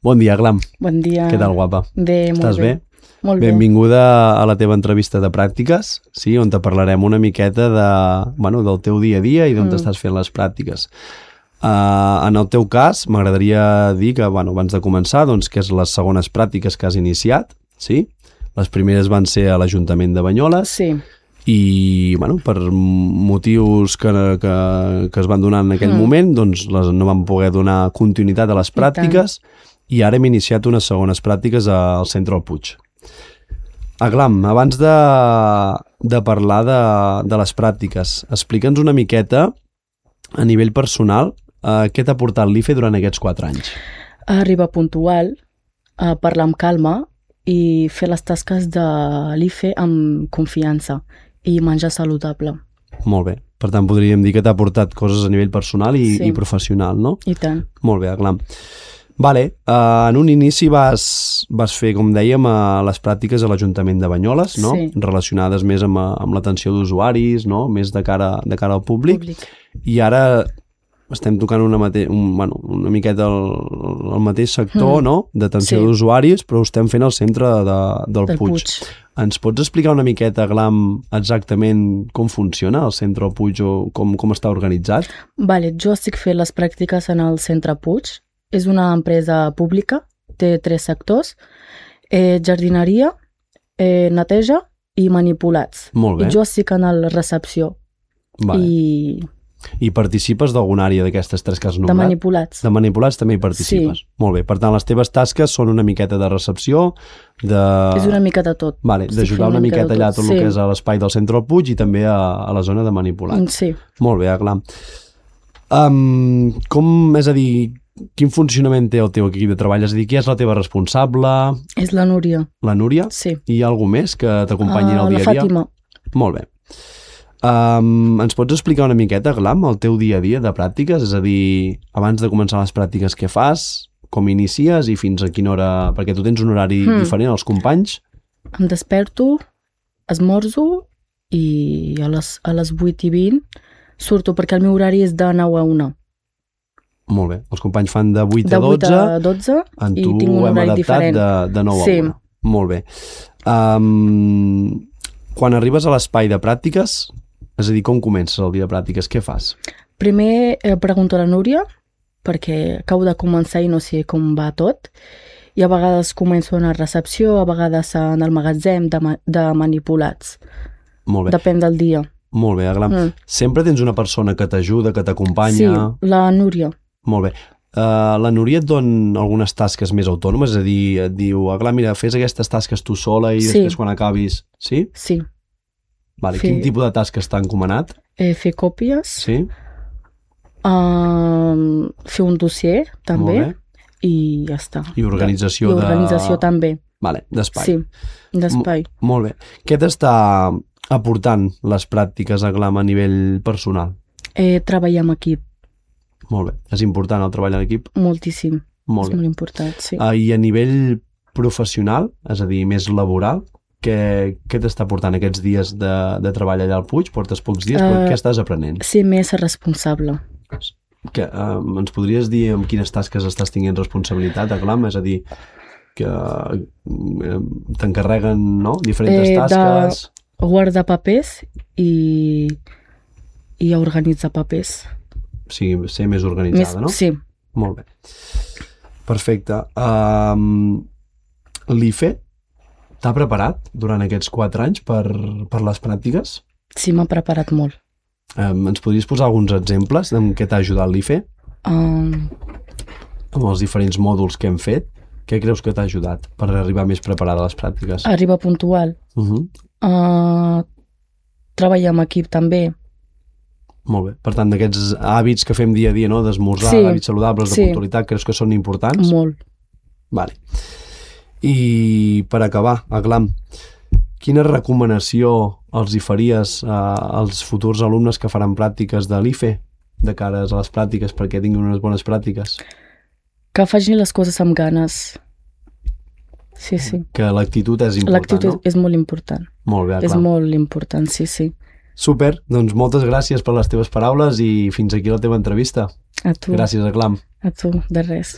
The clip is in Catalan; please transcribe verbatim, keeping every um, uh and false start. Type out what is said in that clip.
Bon dia, Aglam. Bon dia. Què tal, guapa? Bé, molt Estàs bé. bé? Molt bé. Benvinguda a la teva entrevista de pràctiques, sí, on te parlarem una miqueta de, bueno, del teu dia a dia i d'on mm. estàs fent les pràctiques. Uh, en el teu cas, m'agradaria dir que, bueno, abans de començar, doncs, que és les segones pràctiques que has iniciat, sí? Les primeres van ser a l'Ajuntament de Banyoles. Sí. I, bueno, per motius que, que, que es van donar en aquell mm. moment, doncs les, no van poder donar continuïtat a les pràctiques i, i ara hem iniciat unes segones pràctiques al Centre del Puig. Aglam, abans de, de parlar de, de les pràctiques, explica'ns una miqueta a nivell personal eh, què t'ha portat l'I F E durant aquests quatre anys. Arribar puntual, a parlar amb calma i fer les tasques de l'I F E amb confiança i menjar saludable. Molt bé. Per tant, podríem dir que t'ha portat coses a nivell personal i, sí. i professional, no? I tant. Molt bé, Aglam. Vale, uh, en un inici vas, vas fer, com dèiem, uh, les pràctiques a l'Ajuntament de Banyoles, no? Sí. Relacionades més amb, amb l'atenció d'usuaris, no? Més de cara, de cara al públic. públic. I ara estem tocant una, mate un, bueno, una miqueta el, el mateix sector, mm. no? D'atenció sí. d'usuaris, però ho estem fent al centre de, del, del Puig. Puig. Ens pots explicar una miqueta, Aglam, exactament com funciona el centre del Puig o com, com està organitzat? Vale, jo estic fent les pràctiques en el centre Puig. És una empresa pública, té tres sectors, eh, jardineria, eh, neteja i manipulats. Molt bé. I jo estic en la recepció. Vale. I... I participes d'alguna àrea d'aquestes tres que has nombrat? De manipulats. De manipulats també hi participes. Sí. Molt bé. Per tant, les teves tasques són una miqueta de recepció, de... És una mica de tot. Vale, d'ajudar una, una miqueta allà tot sí. el que és a l'espai del centre del Puig i també a, a la zona de manipulats. Sí. Molt bé, Aglam. Um, com, és a dir, quin funcionament té el teu equip de treball? És a dir, qui és la teva responsable? És la Núria. La Núria? Sí. I hi ha algú més que t'acompanyi uh, en el dia a dia? La Fàtima. Molt bé. Um, ens pots explicar una miqueta, Aglam, el teu dia a dia de pràctiques? És a dir, abans de començar les pràctiques, què fas? Com inicies i fins a quina hora? Perquè tu tens un horari hmm. diferent als companys. Em desperto, esmorzo i a les, a les vuit i vint surto perquè el meu horari és de nou a una. Molt bé. Els companys fan de vuit de a dotze. De vuit a dotze en i tu tinc un horari hem diferent. De, de nou sí. a una. Molt bé. Um, quan arribes a l'espai de pràctiques, és a dir, com comences el dia de pràctiques? Què fas? Primer eh, pregunto a la Núria, perquè acabo de començar i no sé com va tot. I a vegades començo en la recepció, a vegades en el magatzem de, ma de manipulats. Molt bé. Depèn del dia. Molt bé, Aglam. Mm. Sempre tens una persona que t'ajuda, que t'acompanya? Sí, la Núria. Molt bé. Uh, la Núria et dona algunes tasques més autònomes? És a dir, et diu, Aglam, mira, fes aquestes tasques tu sola i sí. després quan acabis... Sí? Sí. Vale. Fer... Quin tipus de tasques t'ha encomanat? Eh, fer còpies. Sí. Uh, fer un dossier, també. Molt bé. I ja està. I organització, I organització de... també. Vale, d'espai. Sí, d'espai. Molt bé. Què t'està aportant les pràctiques, Aglam, a nivell personal? Eh, treballar amb equip. Molt bé. És important el treball en equip? Moltíssim. Molt és bé. molt important, sí. Uh, I a nivell professional, és a dir, més laboral, què, què t'està portant aquests dies de, de treball allà al Puig? Portes pocs dies, uh, però què estàs aprenent? Ser més responsable. Que, uh, ens podries dir amb quines tasques estàs tinguent responsabilitat, Aglam? És a dir, que uh, t'encarreguen, no?, diferents eh, tasques... De guardar papers i, i organitzar papers. O sigui, ser més organitzada, més, no? Sí. Molt bé. Perfecte. Um, L'I F E t'ha preparat durant aquests quatre anys per, per les pràctiques? Sí, m'ha preparat molt. Um, ens podries posar alguns exemples en què t'ha ajudat l'I F E? Um... Amb els diferents mòduls que hem fet, què creus que t'ha ajudat per arribar més preparada a les pràctiques? Arribar puntual. Uh -huh. uh, treballar amb equip també. Molt bé. Per tant, d'aquests hàbits que fem dia a dia, no? D'esmorzar, sí. hàbits saludables, de sí. puntualitat, creus que són importants? Molt. Vale. I per acabar, Aglam, quina recomanació els hi faries uh, als futurs alumnes que faran pràctiques de l'I F E de cara a les pràctiques perquè tinguin unes bones pràctiques? Que facin les coses amb ganes. Sí, sí. Que l'actitud és important, l'actitud no? és molt important. Molt bé, clar. És molt important, sí, sí. Super, doncs moltes gràcies per les teves paraules i fins aquí la teva entrevista. A tu. Gràcies, Aglam. A tu, de res.